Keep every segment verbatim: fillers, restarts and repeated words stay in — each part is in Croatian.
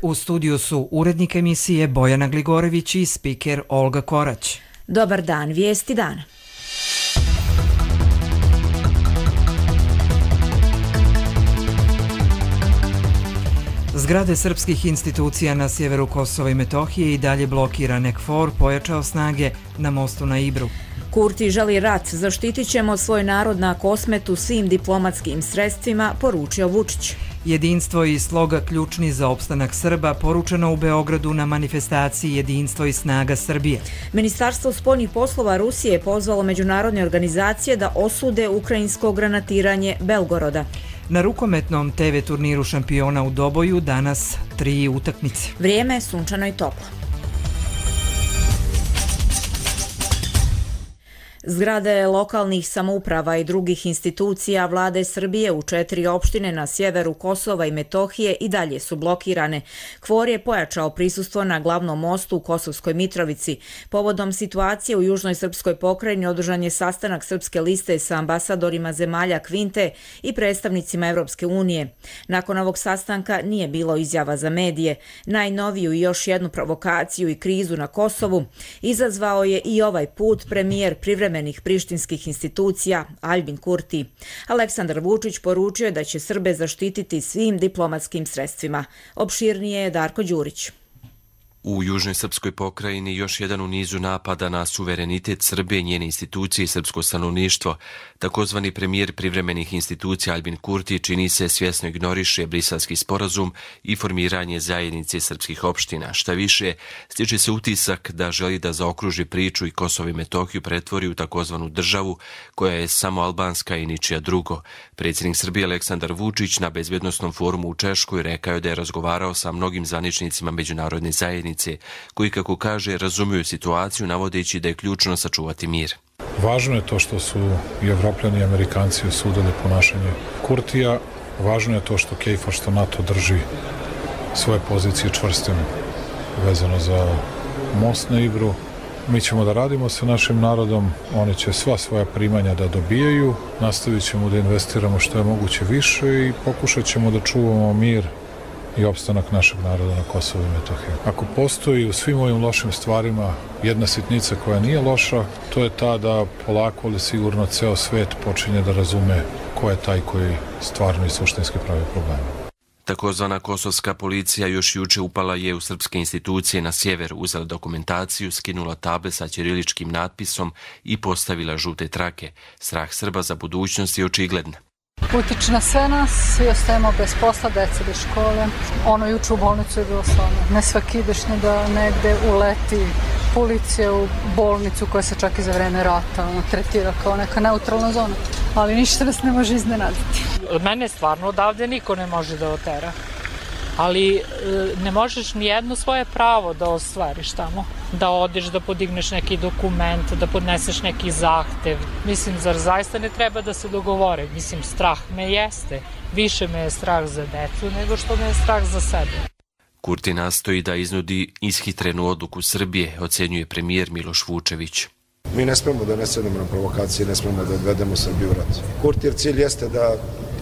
U studiju su urednik emisije Bojana Gligorević i spiker Olga Korać. Dobar dan, vijesti dana. Zgrade srpskih institucija na sjeveru Kosova i Metohije i dalje blokirane. KFOR pojačao snage na mostu na Ibru. Kurti želi rat, zaštitit ćemo svoj narod na Kosmetu svim diplomatskim sredstvima, poručio Vučić. Jedinstvo i sloga ključni za opstanak Srba, poručeno u Beogradu na manifestaciji Jedinstvo i snaga Srbije. Ministarstvo spoljnih poslova Rusije je pozvalo međunarodne organizacije da osude ukrajinsko granatiranje Belgoroda. Na rukometnom te ve turniru šampiona u Doboju danas tri utakmice. Vrijeme je sunčano i toplo. Zgrade lokalnih samouprava i drugih institucija vlade Srbije u četiri opštine na sjeveru Kosova i Metohije i dalje su blokirane. KFOR je pojačao prisustvo na glavnom mostu u Kosovskoj Mitrovici. Povodom situacije u južnoj srpskoj pokrajini održan je sastanak Srpske liste sa ambasadorima zemalja Kvinte i predstavnicima Evropske unije. Nakon ovog sastanka nije bilo izjava za medije. Najnoviju i još jednu provokaciju i krizu na Kosovu izazvao je i ovaj put premijer privremenih prištinskih institucija Aljbin Kurti. Aleksandar Vučić poručio je da će Srbe zaštititi svim diplomatskim sredstvima. Opširnije je Darko Đurić. U južnoj srpskoj pokrajini još jedan u nizu napada na suverenitet Srbije, njene institucije i srpsko stanovništvo. Takozvani premijer privremenih institucija Aljbin Kurti čini se svjesno ignoriše Briselski sporazum i formiranje zajednice srpskih opština. Šta više, stiče se utisak da želi da zaokruži priču i Kosovo i Metohiju pretvori u takozvanu državu koja je samo albanska i ničija drugo. Predsjednik Srbije Aleksandar Vučić na bezbjednosnom forumu u Češkoj rekao je da je razgovarao sa mnogim zvaničnicima međunarodne zajednice koji, kako kaže, razumiju situaciju, navodeći da je ključno sačuvati mir. Važno je to što su i Evropljani i Amerikanci osudili ponašanje Kurtija. Važno je to što KFOR, što NATO drži svoje pozicije čvrstim vezano za most na Ibru. Mi ćemo da radimo sa našim narodom, oni će sva svoja primanja da dobijaju, nastavit ćemo da investiramo što je moguće više i pokušat ćemo da čuvamo mir i opstanak našeg naroda na Kosovu i Metohiji. Ako postoji u svim ovim lošim stvarima jedna sitnica koja nije loša, to je ta da polako ali sigurno ceo svet počinje da razume ko je taj koji stvarno i suštinski pravi probleme. Takozvana kosovska policija još juče upala je u srpske institucije na sjever, uzela dokumentaciju, skinula table sa ćiriličkim natpisom i postavila žute trake. Strah Srba za budućnost je očigledan. Utiče na sve nas, svi ostajemo bez posla, deca bez škole. Ono juče u bolnicu je bilo stvarno nesvakidašnje da negde uleti policija u bolnicu koja se čak i za vreme rata ono, tretira kao neka neutralna zona. Ali ništa nas ne može iznenaditi. Od mene stvarno odavde niko ne može da otera. Ali ne možeš ni jedno svoje pravo da ostvariš tamo. Da odeš, da podigneš neki dokument, da podneseš neki zahtev. Mislim, zar zaista ne treba da se dogovore? Mislim, strah me jeste. Više me je strah za decu nego što me je strah za sebe. Kurti nastoji da iznudi ishitrenu odluku Srbije, ocenjuje premijer Miloš Vučević. Mi ne smemo da ne sedemo na provokacije, ne smemo da odvedemo Srbiju u rat. Kurtijev cilj jeste da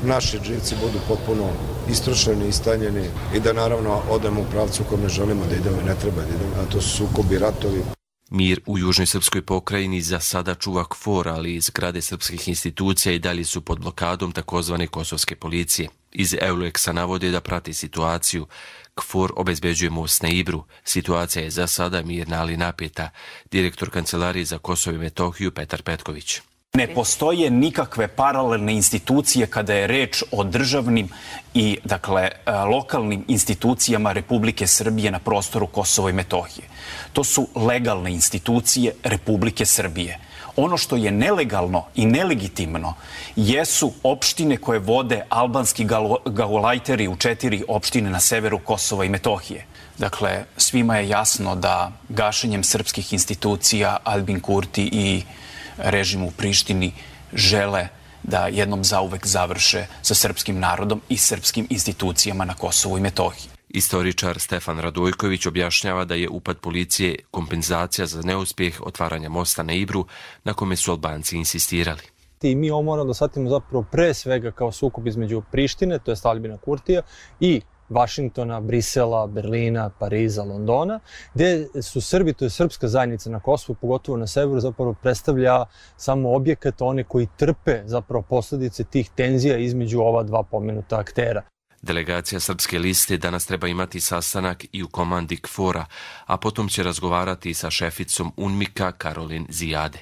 naši živci budu potpuno istrošeni, istanjeni i da naravno odemo u pravcu u kojem ne želimo da idemo i ne treba da idemo, a to su sukobi, ratovi. Mir u južnoj srpskoj pokrajini za sada čuva KFOR, ali iz zgrade srpskih institucija i dalje su pod blokadom takozvane kosovske policije. Iz Euleksa navode da prati situaciju. KFOR obezbeđuje most na Ibru. Situacija je za sada mirna, ali napeta. Direktor Kancelarije za Kosovo i Metohiju Petar Petković. Ne postoje nikakve paralelne institucije kada je reč o državnim i dakle lokalnim institucijama Republike Srbije na prostoru Kosova i Metohije. To su legalne institucije Republike Srbije. Ono što je nelegalno i nelegitimno jesu opštine koje vode albanski gaulajteri u četiri opštine na severu Kosova i Metohije. Dakle, svima je jasno da gašenjem srpskih institucija Aljbin Kurti i režim u Prištini žele da jednom zauvek završe sa srpskim narodom i srpskim institucijama na Kosovu i Metohiji. Istoričar Stefan Radojković objašnjava da je upad policije kompenzacija za neuspjeh otvaranja mosta na Ibru, na kome su Albanci insistirali. I mi ovo moramo da shvatimo zapravo pre svega kao sukob između Prištine, to je Aljbina Kurtija, i Vašingtona, Brisela, Berlina, Pariza, Londona, gde su Srbi, to je srpska zajednica na Kosovu, pogotovo na severu, zapravo predstavlja samo objekat, one koji trpe zapravo posledice tih tenzija između ova dva pomenuta aktera. Delegacija Srpske liste danas treba imati sastanak i u komandi K F O R-a, a potom će razgovarati sa šeficom UNMIK-a Karolin Zijade.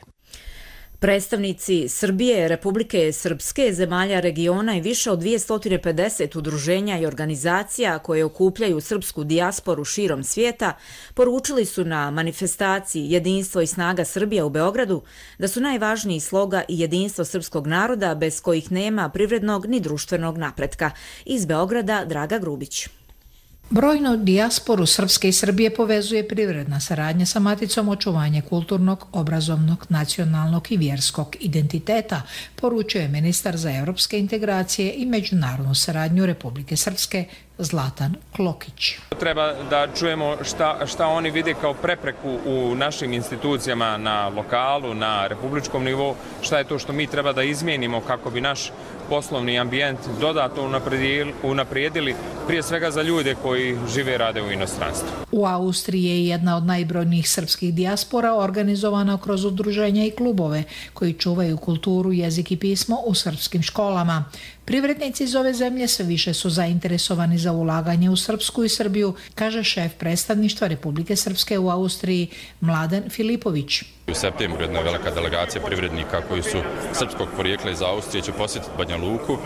Predstavnici Srbije, Republike Srpske, zemalja regiona i više od dvjesto pedeset udruženja i organizacija koje okupljaju srpsku dijasporu širom svijeta poručili su na manifestaciji Jedinstvo i snaga Srbije u Beogradu da su najvažniji sloga i jedinstvo srpskog naroda bez kojih nema privrednog ni društvenog napretka. Iz Beograda Draga Grubić. Brojnu dijasporu Srpske i Srbije povezuje privredna saradnja sa maticom, očuvanje kulturnog, obrazovnog, nacionalnog i vjerskog identiteta, poručuje ministar za evropske integracije i međunarodnu saradnju Republike Srpske Zlatan Klokić. Treba da čujemo šta, šta oni vide kao prepreku u našim institucijama na lokalu, na republičkom nivou, šta je to što mi treba da izmijenimo kako bi naš poslovni ambijent dodatno unaprijedili, prije svega za ljude koji žive i rade u inostranstvu. U Austriji je jedna od najbrojnijih srpskih dijaspora organizovana kroz udruženja i klubove koji čuvaju kulturu, jezik i pismo u srpskim školama. Privrednici iz ove zemlje sve više su zainteresovani za ulaganje u Srpsku i Srbiju, kaže šef predstavništva Republike Srpske u Austriji Mladen Filipović. U septembru jedna velika delegacija privrednika koji su srpskog porijekla iz Austrije će posjetiti Banja Luku um,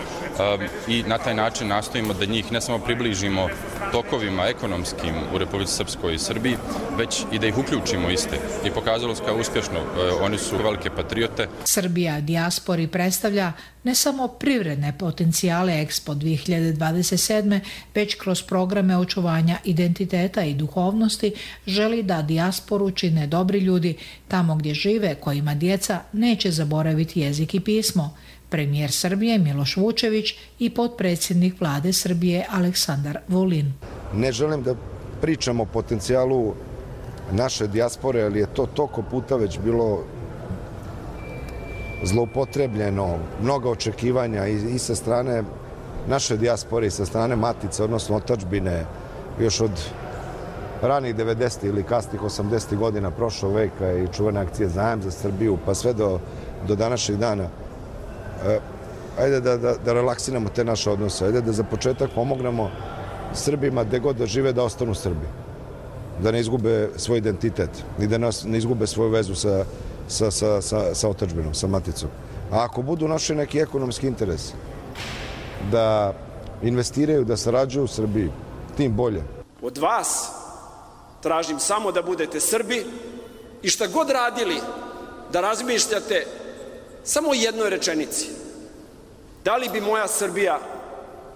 i na taj način nastojimo da njih ne samo približimo tokovima ekonomskim u Republici Srpskoj i Srbiji, već i da ih uključimo iste. I pokazalo se kao uspješno, uh, oni su velike patriote. Srbija dijaspori predstavlja ne samo privredne potencijale Expo dvije hiljade dvadeset sedme, već kroz programe očuvanja identiteta i duhovnosti želi da dijasporu čine dobri ljudi tamo gdje žive, kojima djeca neće zaboraviti jezik i pismo. Premijer Srbije Miloš Vučević i potpredsjednik vlade Srbije Aleksandar Vulin. Ne želim da pričam o potencijalu naše dijaspore, ali je to toliko puta već bilo zloupotrebljeno, mnogo očekivanja i, i sa strane naše dijaspore i sa strane matice, odnosno otadžbine, još od ranih devedesetih ili kasnih osamdesetih godina prošlog veka i čuvene akcije Zajam za Srbiju, pa sve do, do današnjeg dana. E, ajde da, da, da relaksiramo te naše odnose, ajde da za početak pomognemo Srbima gde god da žive da ostanu Srbi, da ne izgube svoj identitet i da nas, ne izgube svoju vezu sa, sa, sa, sa, sa otadžbinom, sa maticom. A ako budu naši neki ekonomski interesi da investiraju, da sarađuju u Srbiji, tim bolje. Od vas tražim samo da budete Srbi i šta god radili, da razmišljate samo o jednoj rečenici. Da li bi moja Srbija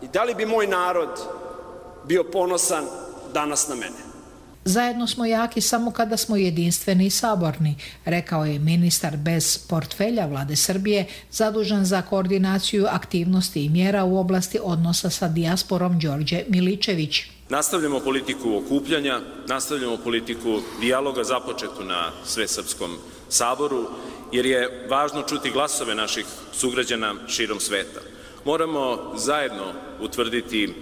i da li bi moj narod bio ponosan danas na mene? Zajedno smo jaki samo kada smo jedinstveni i saborni, rekao je ministar bez portfelja vlade Srbije zadužen za koordinaciju aktivnosti i mjera u oblasti odnosa sa dijasporom Đorđe Miličević. Nastavljamo politiku okupljanja, nastavljamo politiku dijaloga započetu na Svesrpskom saboru, jer je važno čuti glasove naših sugrađana širom sveta. Moramo zajedno utvrditi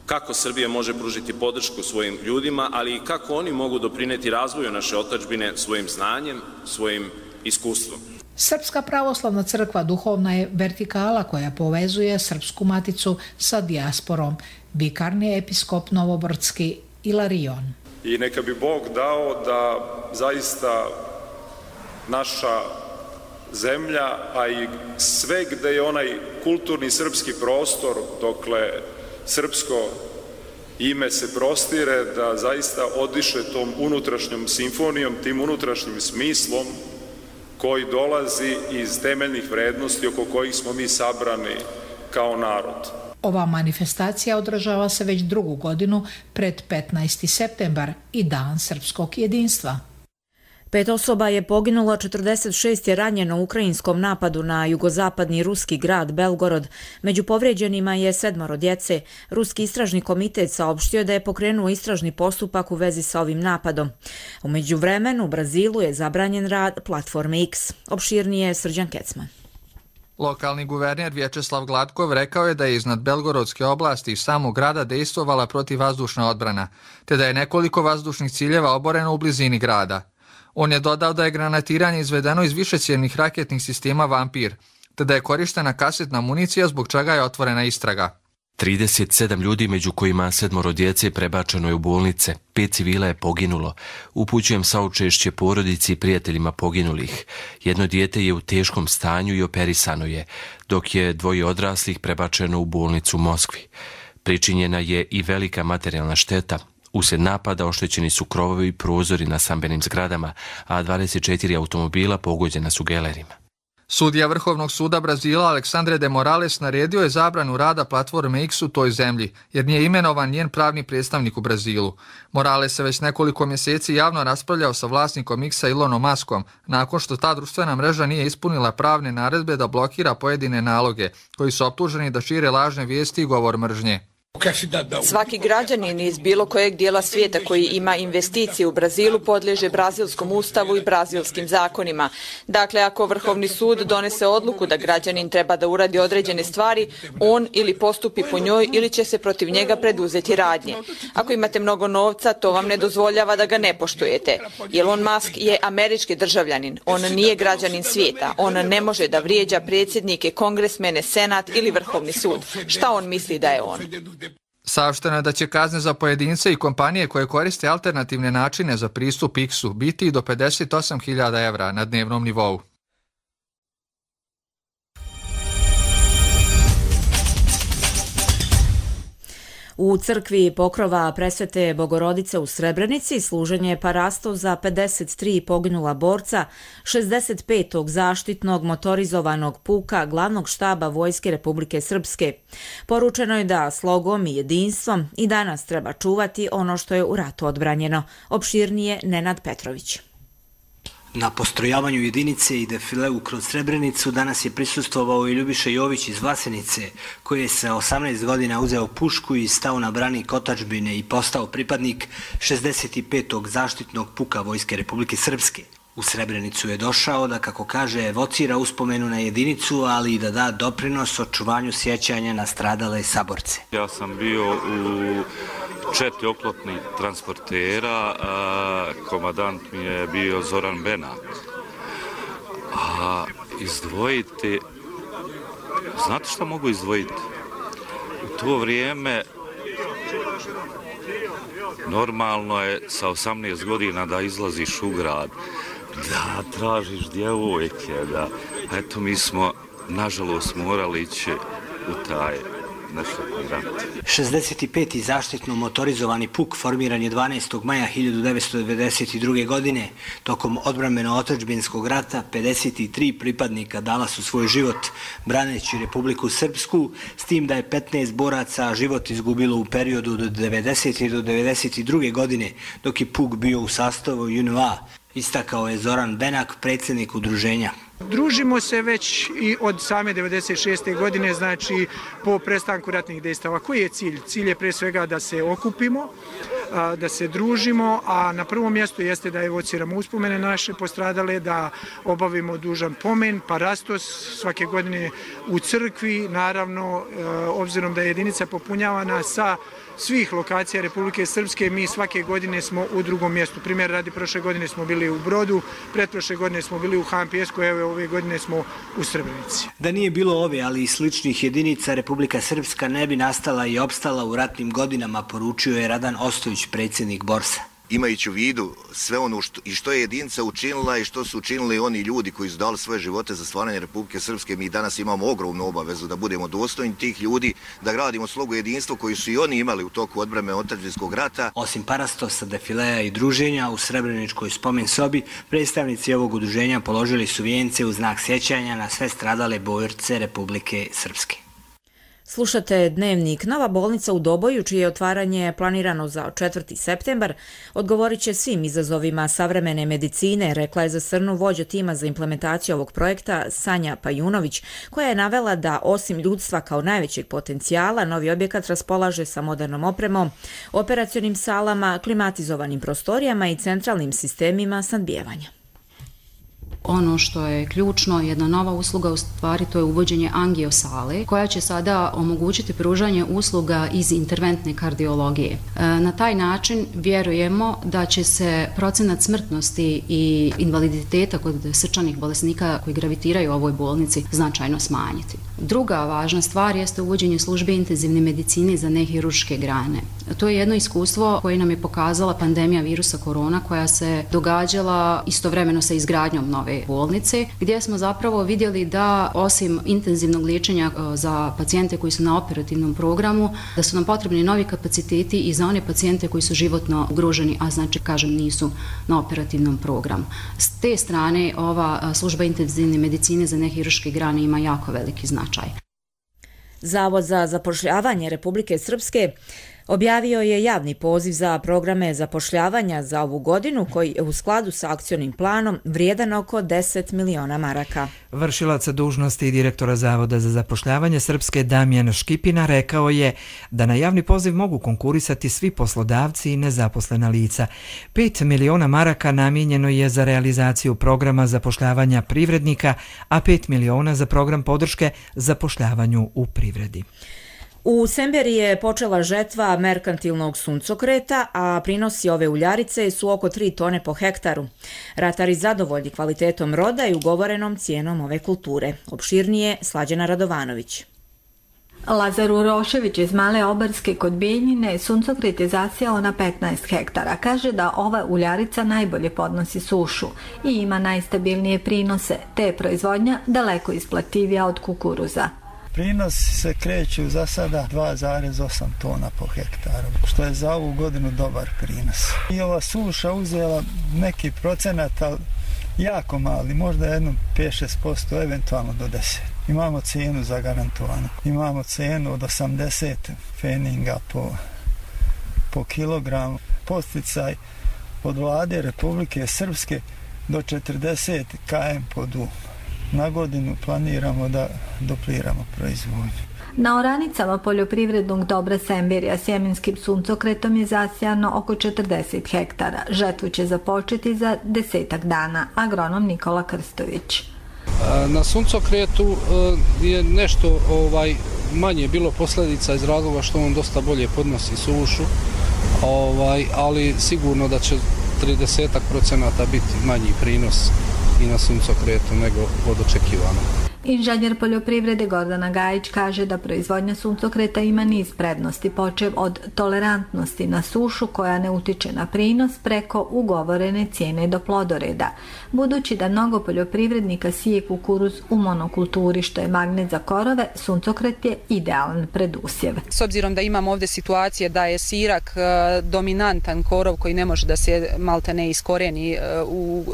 kako Srbija može pružiti podršku svojim ljudima, ali i kako oni mogu doprineti razvoju naše otadžbine svojim znanjem, svojim iskustvom. Srpska pravoslavna crkva duhovna je vertikala koja povezuje srpsku maticu sa dijasporom. Vikarni episkop Novobrdski Ilarion. I neka bi Bog dao da zaista naša zemlja, a i sve gde je onaj kulturni srpski prostor, dokle srpsko ime se prostire, da zaista odiše tom unutrašnjom simfonijom, tim unutrašnjim smislom koji dolazi iz temeljnih vrednosti oko kojih smo mi sabrani kao narod. Ova manifestacija održava se već drugu godinu pred petnaesti septembar i Dan srpskog jedinstva. Pet osoba je poginulo, četrdeset šest je ranjeno u ukrajinskom napadu na jugozapadni ruski grad Belgorod. Među povrijeđenima je sedmoro djece. Ruski istražni komitet saopštio da je pokrenuo istražni postupak u vezi sa ovim napadom. U međuvremenu u Brazilu je zabranjen rad platforme X. Opširnije Srđan Kecman. Lokalni guverner Vječeslav Gladkov rekao je da je iznad Belgorodske oblasti i samog grada dejstvovala protivvazdušna odbrana, te da je nekoliko vazdušnih ciljeva oboreno u blizini grada. On je dodao da je granatiranje izvedeno iz višecjevnih raketnih sistema Vampir, te da je korištena kasetna municija zbog čega je otvorena istraga. trideset sedam ljudi, među kojima sedmoro djece, prebačeno je u bolnice. Pet civila je poginulo. Upućujem saučešće porodici i prijateljima poginulih. Jedno dijete je u teškom stanju i operisano je, dok je dvoje odraslih prebačeno u bolnicu u Moskvi. Pričinjena je i velika materijalna šteta. Uslijed napada oštećeni su krovovi i prozori na stambenim zgradama, a dvadeset četiri automobila pogođena su gelerima. Sudija Vrhovnog suda Brazila Alexandre de Morales naredio je zabranu rada platforme X u toj zemlji, jer nije imenovan njen pravni predstavnik u Brazilu. Morales se već nekoliko mjeseci javno raspravljao sa vlasnikom X-a Elonom Muskom, nakon što ta društvena mreža nije ispunila pravne naredbe da blokira pojedine naloge, koji su optuženi da šire lažne vijesti i govor mržnje. Svaki građanin iz bilo kojeg dijela svijeta koji ima investicije u Brazilu podliježe brazilskom ustavu i brazilskim zakonima. Dakle, ako Vrhovni sud donese odluku da građanin treba da uradi određene stvari, on ili postupi po njoj ili će se protiv njega preduzeti radnje. Ako imate mnogo novca, to vam ne dozvoljava da ga ne poštujete. Elon Musk je američki državljanin, on nije građanin svijeta, on ne može da vrijeđa predsjednike, kongresmene, senat ili Vrhovni sud. Šta on misli da je on? Saopšteno je da će kazne za pojedince i kompanije koje koriste alternativne načine za pristup X-u biti i do pedeset osam hiljada evra na dnevnom nivou. U crkvi Pokrova Presvete Bogorodice u Srebrenici služenje je parasto za pedeset tri poginula borca šezdeset petog zaštitnog motorizovanog puka glavnog štaba Vojske Republike Srpske. Poručeno je da slogom i jedinstvom i danas treba čuvati ono što je u ratu odbranjeno. Opširnije Nenad Petrović. Na postrojavanju jedinice i defileu kroz Srebrenicu danas je prisustvovao i Ljubiša Jović iz Vlasenice, koji je sa osamnaest godina uzeo pušku i stao na branik otadžbine i postao pripadnik šezdeset petog zaštitnog puka Vojske Republike Srpske. U Srebrenicu je došao da, kako kaže, evocira uspomenu na jedinicu, ali i da da doprinos očuvanju sjećanja na stradale saborce. Ja sam bio u četiri oklopnih transportera, a komadant mi je bio Zoran Benak. A izdvojiti, znate što mogu izdvojiti? U to vrijeme normalno je sa osamnaest godina da izlaziš u grad, da tražiš djevojke, da, eto mi smo nažalost morali ići u taj šezdeset peti zaštitno motorizovani puk formiran je dvanaestog maja hiljadu devetsto devedeset druge. godine. Tokom odbrambeno-otadžbinskog rata pedeset tri pripadnika dala su svoj život braneći Republiku Srpsku, s tim da je petnaest boraca život izgubilo u periodu od devedesete do devedeset druge. godine, dok je puk bio u sastavu J N A, istakao je Zoran Benak, predsjednik udruženja. Družimo se već i od same devedeset šeste. godine, znači po prestanku ratnih dejstava. Koji je cilj? Cilj je pre svega da se okupimo, da se družimo, a na prvom mjestu jeste da evociramo uspomene naše postradale, da obavimo dužan pomen, parastos svake godine u crkvi, naravno, obzirom da je jedinica popunjavana sa svih lokacija Republike Srpske, mi svake godine smo u drugom mjestu. Primjer radi, prošle godine smo bili u Brodu, pretprošle godine smo bili u Han Pijesku, evo ove godine smo u Srebrenici. Da nije bilo ove, ali i sličnih jedinica, Republika Srpska ne bi nastala i opstala u ratnim godinama, poručio je Radan Ostojić, predsjednik Borsa. Imajući u vidu sve ono što, i što je jedinica učinila i što su učinili oni ljudi koji su dali svoje živote za stvaranje Republike Srpske, mi danas imamo ogromnu obavezu da budemo dostojni tih ljudi, da gradimo slogu jedinstva koju su i oni imali u toku odbrane otadžbinskog rata. Osim parastosa, defileja i druženja u Srebreničkoj spomen sobi, predstavnici ovog udruženja položili su vijence u znak sjećanja na sve stradale borce Republike Srpske. Slušate Dnevnik. Nova bolnica u Doboju, čije je otvaranje planirano za četvrti septembar, odgovorit će svim izazovima savremene medicine, rekla je za Srnu vođa tima za implementaciju ovog projekta Sanja Pajunović, koja je navela da osim ljudstva kao najvećeg potencijala, novi objekat raspolaže sa modernom opremom, operacionim salama, klimatizovanim prostorijama i centralnim sistemima snabdijevanja. Ono što je ključno, jedna nova usluga u stvari, to je uvođenje angiosale koja će sada omogućiti pružanje usluga iz interventne kardiologije. Na taj način vjerujemo da će se procenat smrtnosti i invaliditeta kod srčanih bolesnika koji gravitiraju u ovoj bolnici značajno smanjiti. Druga važna stvar jeste uvođenje službe intenzivne medicine za nehirurške grane. To je jedno iskustvo koje nam je pokazala pandemija virusa korona koja se događala istovremeno sa izgradnjom nove bolnice, gdje smo zapravo vidjeli da osim intenzivnog liječenja za pacijente koji su na operativnom programu, da su nam potrebni novi kapaciteti i za one pacijente koji su životno ugroženi, a znači, kažem, nisu na operativnom programu. S te strane ova služba intenzivne medicine za nehirurške grane ima jako veliki značaj. Zavod za zapošljavanje Republike Srpske objavio je javni poziv za programe zapošljavanja za ovu godinu koji je u skladu sa akcionim planom vrijedan oko deset miliona maraka. Vršilac dužnosti direktora Zavoda za zapošljavanje Srpske Damjan Škipina rekao je da na javni poziv mogu konkurisati svi poslodavci i nezaposlena lica. Pet miliona maraka namijenjeno je za realizaciju programa zapošljavanja privrednika, a pet miliona za program podrške zapošljavanju u privredi. U Semberi je počela žetva merkantilnog suncokreta, a prinosi ove uljarice su oko tri tone po hektaru. Ratari zadovoljni kvalitetom roda i ugovorenom cijenom ove kulture. Opširnije Slađana Radovanović. Lazar Urošević iz Male Obarske kod Bijeljine suncokret je zasijao na petnaest hektara. Kaže da ova uljarica najbolje podnosi sušu i ima najstabilnije prinose, te je proizvodnja daleko isplativija od kukuruza. Prinos se kreću za sada dva zarez osam tona po hektaru, što je za ovu godinu dobar prinos. I ova suša uzela neki procenat, ali jako mali, možda jedno pet do šest posto, eventualno do deset. Imamo cijenu zagarantovanu. Imamo cijenu od osamdeset feninga po, po kilogramu. Posticaj od vlade Republike Srpske do četrdeset kilometara po dum. Na godinu planiramo da dupliramo proizvodnju. Na oranicama poljoprivrednog dobra Semberija sjemenskim suncokretom je zasijano oko četrdeset hektara. Žetvu će započeti za desetak dana. Agronom Nikola Krstović. Na suncokretu je nešto ovaj, manje bilo posljedica iz razloga što on dosta bolje podnosi sušu, ovaj, ali sigurno da će trideset procenata biti manji prinos i na suncokretu nego od očekivanog. Inženjer poljoprivrede Gordana Gajić kaže da proizvodnja suncokreta ima niz prednosti, počev od tolerantnosti na sušu koja ne utiče na prinos preko ugovorene cijene do plodoreda. Budući da mnogo poljoprivrednika sije kukuruz u monokulturi što je magnet za korove, suncokret je idealan predusjev. S obzirom da imamo ovdje situacije da je sirak dominantan korov koji ne može da se malte ne iskoreni u,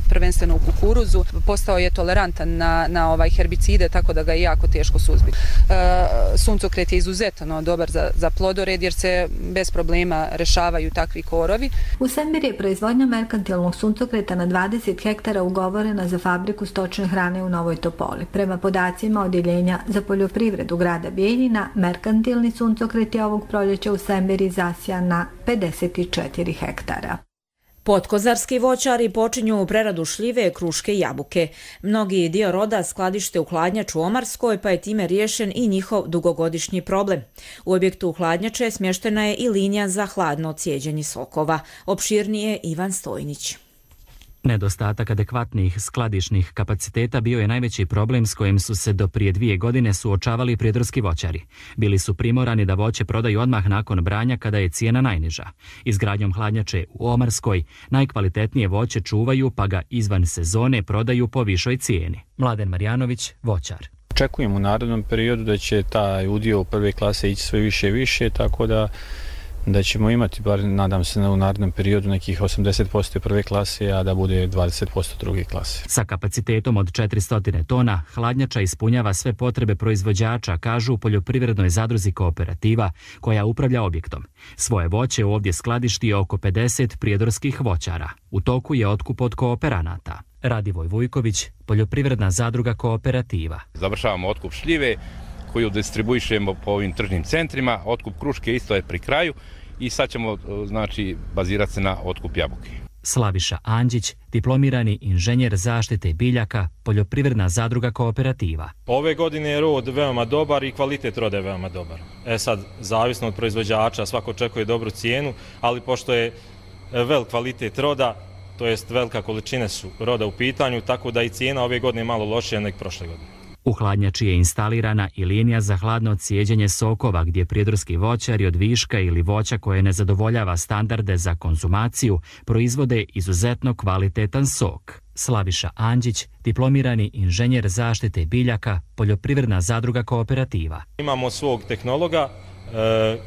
prvenstveno u kukuruzu, postao je tolerantan na, na ovaj herbicide, tako da ga je jako teško suzbiti. E, suncokret je izuzetno dobar za, za plodored jer se bez problema rešavaju takvi korovi. U Semberi je proizvodnja merkantilnog suncokreta na dvadeset hektara ugovorena za fabriku stočne hrane u Novoj Topoli. Prema podacima Odjeljenja za poljoprivredu grada Bijeljina, merkantilni suncokret je ovog proljeća u Semberi zasijan na pedeset četiri hektara. Potkozarski voćari počinju preradu šljive, kruške i jabuke. Mnogi dio roda skladište u hladnjaču u Omarskoj, pa je time riješen i njihov dugogodišnji problem. U objektu hladnjače smještena je i linija za hladno cijeđenje sokova. Opširnije Ivan Stojnić. Nedostatak adekvatnih skladišnih kapaciteta bio je najveći problem s kojim su se do prije dvije godine suočavali prijedorski voćari. Bili su primorani da voće prodaju odmah nakon branja kada je cijena najniža. Izgradnjom hladnjače u Omarskoj najkvalitetnije voće čuvaju pa ga izvan sezone prodaju po višoj cijeni. Mladen Marjanović, voćar. Očekujem u narednom periodu da će taj udio prve klase ići sve više i više, tako da da ćemo imati, bar nadam se, u narednom periodu nekih osamdeset posto prve klase, a da bude dvadeset posto druge klase. Sa kapacitetom od četiristo tona, hladnjača ispunjava sve potrebe proizvođača, kažu u poljoprivrednoj zadruzi Kooperativa, koja upravlja objektom. Svoje voće ovdje skladišti oko pedeset prijedorskih voćara. U toku je otkup od kooperanata. Radivoj Vujković, poljoprivredna zadruga Kooperativa. Završavamo otkup šljive koju distribuišemo po ovim tržnim centrima, otkup kruške isto je pri kraju i sad ćemo, znači, bazirati se na otkup jabuke. Slaviša Anđić, diplomirani inženjer zaštite biljaka, poljoprivredna zadruga Kooperativa. Ove godine je rod veoma dobar i kvalitet roda je veoma dobar. E sad, zavisno od proizvođača, svako očekuje dobru cijenu, ali pošto je velik kvalitet roda, to jest velika količine su roda u pitanju, tako da i cijena ove godine je malo lošija nego prošle godine. U hladnjači je instalirana i linija za hladno cijeđenje sokova gdje prijedorski voćari od viška ili voća koje ne zadovoljava standarde za konzumaciju proizvode izuzetno kvalitetan sok. Slaviša Anđić, diplomirani inženjer zaštite biljaka, poljoprivredna zadruga Kooperativa. Imamo svog tehnologa, e,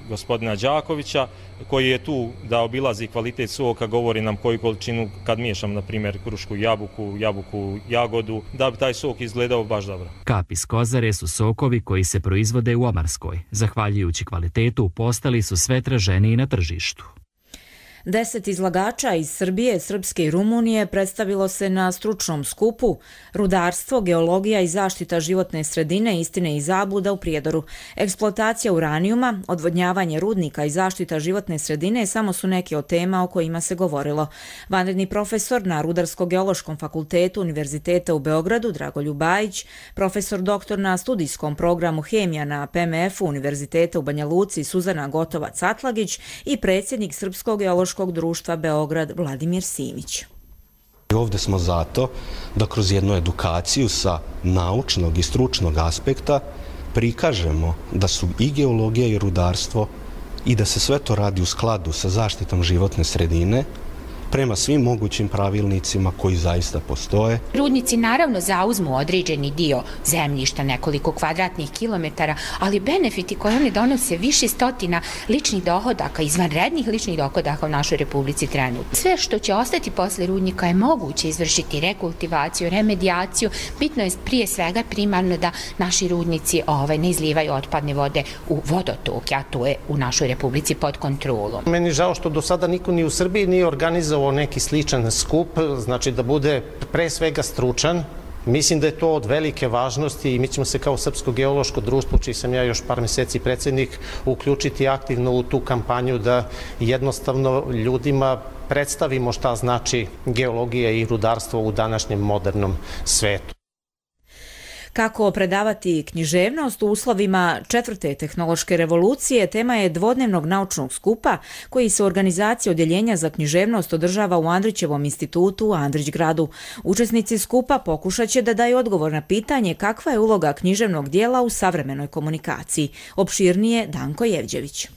gospodina Đakovića, koji je tu da obilazi kvalitet soka, govori nam koju količinu kad miješam, na primjer, krušku jabuku, jabuku jagodu, da bi taj sok izgledao baš dobro. Kap iz kozare su sokovi koji se proizvode u Omarskoj. Zahvaljujući kvalitetu, postali su sve traženiji na tržištu. Deset izlagača iz Srbije, Srpske i Rumunije predstavilo se na stručnom skupu Rudarstvo, geologija i zaštita životne sredine, istine i zabluda u Prijedoru. Eksploatacija uranijuma, odvodnjavanje rudnika i zaštita životne sredine samo su neke od tema o kojima se govorilo. Vanredni profesor na Rudarsko-geološkom fakultetu Univerziteta u Beogradu Dragoljub Bajić, profesor doktor na studijskom programu Hemija na P M F-u Univerziteta u Banja Luci Suzana Gotovac-Atlagić i predsjednik Srpskog geološkog društva Beograd Vladimir Simić. Ovdje smo zato da kroz jednu edukaciju sa naučnog i stručnog aspekta prikažemo da su i geologija i rudarstvo i da se sve to radi u skladu sa zaštitom životne sredine prema svim mogućim pravilnicima koji zaista postoje. Rudnici naravno zauzmu određeni dio zemljišta, nekoliko kvadratnih kilometara, ali benefiti koje oni donose više stotina ličnih dohodaka, izvanrednih ličnih dohodaka u našoj Republici trenutno. Sve što će ostati posle rudnika je moguće izvršiti rekultivaciju, remedijaciju. Bitno je prije svega primarno da naši rudnici ovaj, ne izlivaju otpadne vode u vodotoke, a to je u našoj Republici pod kontrolom. Meni žao što do sada niko ni u Srbiji nije organizovao neki sličan skup, znači da bude pre svega stručan. Mislim da je to od velike važnosti i mi ćemo se kao Srpsko geološko društvo, čiji sam ja još par meseci predsjednik, uključiti aktivno u tu kampanju da jednostavno ljudima predstavimo šta znači geologija i rudarstvo u današnjem modernom svetu. Kako predavati književnost u uslovima četvrte tehnološke revolucije, tema je dvodnevnog naučnog skupa koji se u organizaciji Odjeljenja za književnost održava u Andrićevom institutu u Andrićgradu. Učesnici skupa pokušat će da daju odgovor na pitanje kakva je uloga književnog dijela u savremenoj komunikaciji. Opširnije Danko Jevđević.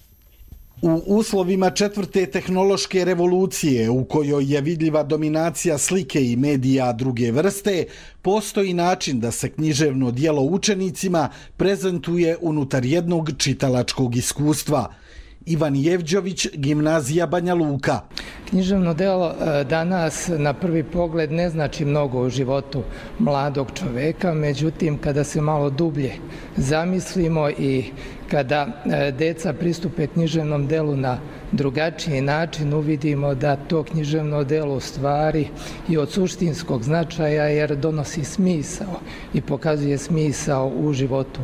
U uslovima četvrte tehnološke revolucije, u kojoj je vidljiva dominacija slike i medija druge vrste, postoji način da se književno dijelo učenicima prezentuje unutar jednog čitalačkog iskustva. Ivan Jevđović, Gimnazija Banja Luka. Književno delo danas na prvi pogled ne znači mnogo u životu mladog čoveka, međutim kada se malo dublje zamislimo i kada deca pristupe književnom delu na drugačiji način, uvidimo da to književno delo u stvari i od suštinskog značaja jer donosi smisao i pokazuje smisao u životu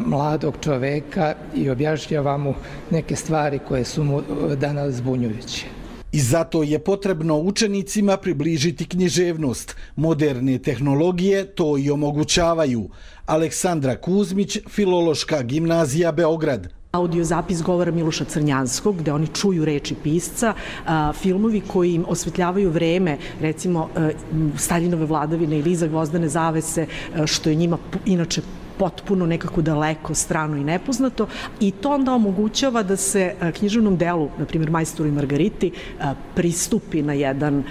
mladog čoveka i objašnjava mu neke stvari koje su mu danas zbunjujuće. I zato je potrebno učenicima približiti književnost. Moderne tehnologije to i omogućavaju. Aleksandra Kuzmić, Filološka gimnazija Beograd. Audio zapis govora Miloša Crnjanskog, gde oni čuju reči pisca, a, filmovi koji im osvetljavaju vreme, recimo a, Staljinove vladavine ili Iza gvozdene zavese, a, što je njima inače potpuno nekako daleko, strano i nepoznato, i to onda omogućava da se književnom delu, na primjer Majstoru i Margariti, pristupi na jedan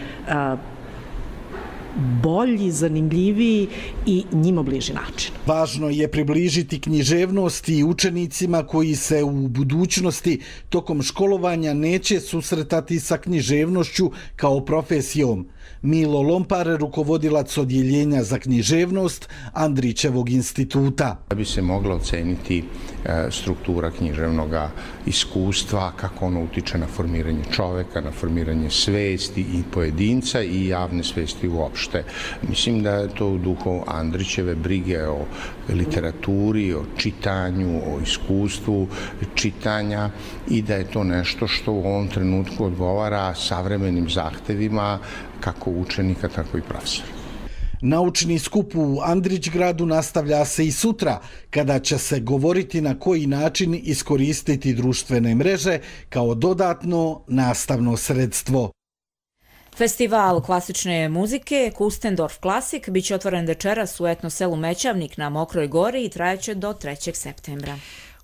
bolji, zanimljiviji i njima bliži način. Važno je približiti književnost i učenicima koji se u budućnosti tokom školovanja neće susretati sa književnošću kao profesijom. Milo Lompar, rukovodilac Odjeljenja za književnost Andrićevog instituta. Da bi se mogla oceniti struktura književnog iskustva, kako ono utiče na formiranje čoveka, na formiranje svesti i pojedinca i javne svesti uopšte. uopšte. Mislim da je to u duhu Andrićeve brige o literaturi, o čitanju, o iskustvu čitanja i da je to nešto što u ovom trenutku odgovara savremenim zahtevima kako učenika, tako i profesora. Naučni skup u Andrićgradu nastavlja se i sutra, kada će se govoriti na koji način iskoristiti društvene mreže kao dodatno nastavno sredstvo. Festival klasične muzike Kustendorf Klasik biće otvoren večeras u etno selu Mećavnik na Mokroj gori i trajaće do trećeg septembra.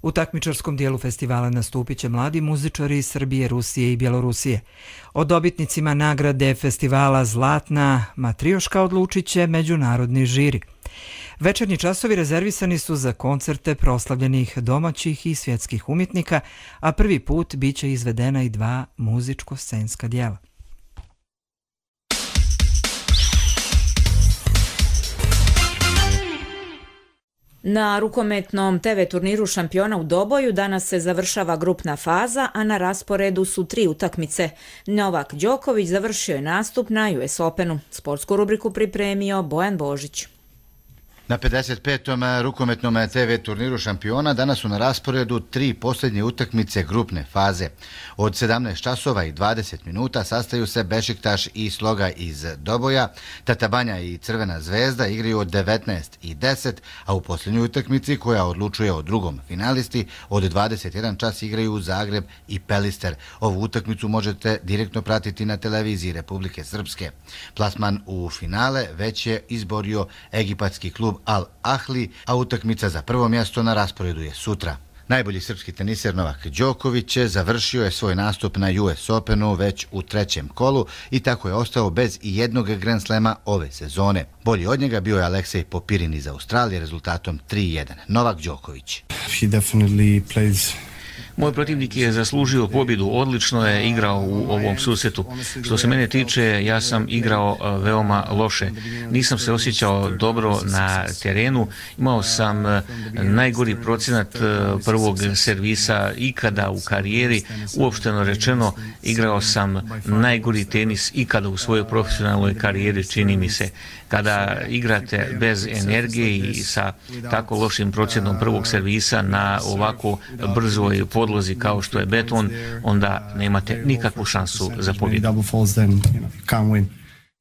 U takmičarskom dijelu festivala nastupit će mladi muzičari iz Srbije, Rusije i Bjelorusije. O dobitnicima nagrade festivala Zlatna Matrioška odlučit će međunarodni žiri. Večernji časovi rezervisani su za koncerte proslavljenih domaćih i svjetskih umjetnika, a prvi put biće izvedena i dva muzičko-scenska dijela. Na rukometnom te ve turniru šampiona u Doboju danas se završava grupna faza, a na rasporedu su tri utakmice. Novak Đoković završio je nastup na U S Openu. Sportsku rubriku pripremio Bojan Božić. Na pedeset petom rukometnom te ve turniru šampiona danas su na rasporedu tri posljednje utakmice grupne faze. Od sedamnaest časova i dvadeset minuta sastaju se Bešiktaš i Sloga iz Doboja, Tatabanja i Crvena zvezda igraju od devetnaest i deset, a u posljednjoj utakmici koja odlučuje o drugom finalisti od dvadeset jedan čas igraju Zagreb i Pelister. Ovu utakmicu možete direktno pratiti na televiziji Republike Srpske. Plasman u finale već je izborio egipatski klub Al Ahli, a utakmica za prvo mjesto na rasporedu je sutra. Najbolji srpski teniser Novak Đoković završio je svoj nastup na U S Openu već u trećem kolu i tako je ostao bez i jednog Grand Slema ove sezone. Bolji od njega bio je Aleksej Popirin iz Australije rezultatom tri jedan. Novak Đoković. He definitely plays Moj protivnik je zaslužio pobjedu, odlično je igrao u ovom susretu. Što se mene tiče, ja sam igrao veoma loše. Nisam se osjećao dobro na terenu, imao sam najgori procenat prvog servisa ikada u karijeri. Uopšteno rečeno, igrao sam najgori tenis ikada u svojoj profesionalnoj karijeri, čini mi se. Kada igrate bez energije i sa tako lošim procentom prvog servisa na ovako brzoj podlozi kao što je beton, onda nemate nikakvu šansu za pobjedu.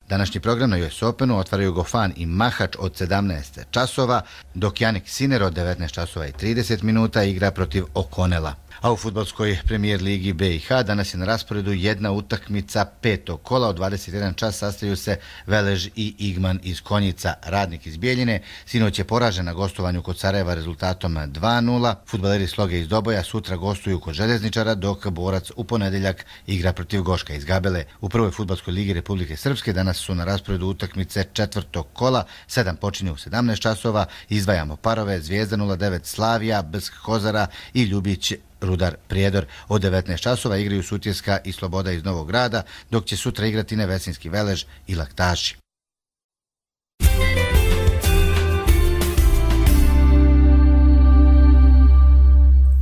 Današnji program na U S Openu otvaraju Gofan i Mahač od sedamnaest časova, dok Jannik Sinner od devetnaest časova i trideset minuta igra protiv O'Connella. A u fudbalskoj premijer ligi B i H danas je na rasporedu jedna utakmica petog kola. Od dvadeset jedan čas sastaju se Velež i Igman iz Konjica. Radnik iz Bijeljine sinoć je poražen na gostovanju kod Sarajeva rezultatom dva nula. Fudbaleri Sloge iz Doboja sutra gostuju kod Željezničara, dok Borac u ponedeljak igra protiv Goška iz Gabele. U prvoj fudbalskoj ligi Republike Srpske danas su na rasporedu utakmice četvrtog kola. Sedam počinje u sedamnaest časova. Izdvajamo parove Zvijezda nula devet Slavija, Brsk Kozara i Ljubić Rudar Prijedor. Od devetnaest časova igraju Sutjeska i Sloboda iz Novog Grada, dok će sutra igrati Nevesinski Velež i Laktaši.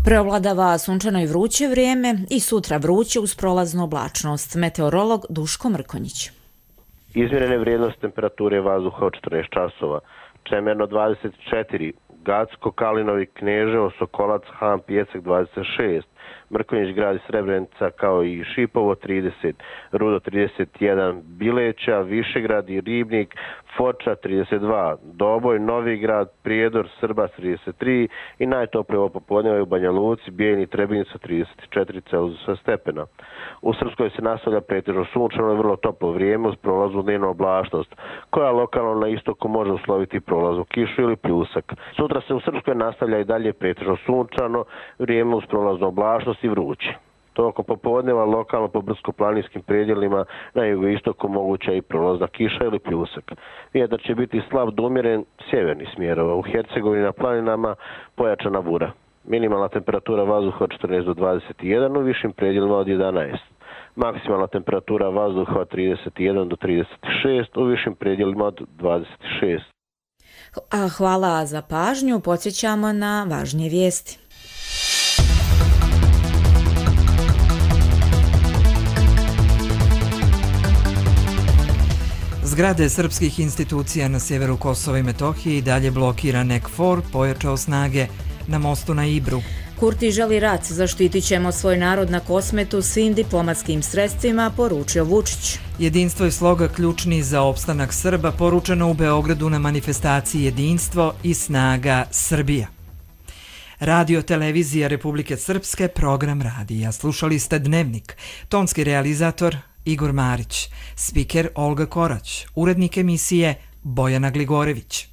Preovladava sunčano i vruće vrijeme i sutra vruće uz prolaznu oblačnost. Meteorolog Duško Mrkonjić. Izmjerene vrijednosti temperature vazduha od četrnaest časova. Čemerno dvadeset četiri, Gacko, Kalinovi, Kneževo, Sokolac, Han, Pjecek dvadeset šest, Mrkonjić grad i Srebrenica kao i Šipovo trideset, Rudo trideset jedan, Bileća, Višegrad i Ribnik, Foča trideset dva, Doboj, Novi grad, Prijedor, Srba trideset tri i najtoplije ovo popodneva u Banja Luci, Bijeljni, Trebinjica trideset četiri Celzijusa stepena. U Srpskoj se nastavlja pretežno sunčano i vrlo toplo vrijeme uz prolaznu dnevnu oblačnost, koja lokalno na istoku može usloviti prolaznu kišu ili pljusak. Sutra se u Srpskoj nastavlja i dalje pretežno sunčano vrijeme uz prolaznu oblačnost i vruće. Tokom popodneva lokalno po brdsko-planinskim predjelima na jugoistoku moguća i prolazna kiša ili pljusak. Vjetar će biti slab do umjeren sjevernih smjerova. U Hercegovini na planinama pojačana bura. Minimalna temperatura vazduha od četrnaest do dvadeset jedan, u višim predjelima od jedanaest. Maksimalna temperatura vazduha od trideset jedan do trideset šest, u višim predjelima od dvadeset šest. A hvala za pažnju, podsjećamo na važnije vijesti. Zgrade srpskih institucija na sjeveru Kosova i Metohije i dalje blokirane. KFOR pojačao snage na mostu na Ibru. Kurti želi rat, zaštitit ćemo svoj narod na Kosmetu svim diplomatskim sredstvima, poručio Vučić. Jedinstvo je sloga ključni za opstanak Srba, poručeno u Beogradu na manifestaciji Jedinstvo i snaga Srbija. Radio televizija Republike Srpske, program radija. Slušali ste Dnevnik. Tonski realizator Igor Marić, spiker Olga Korać, urednik emisije Bojana Gligorević.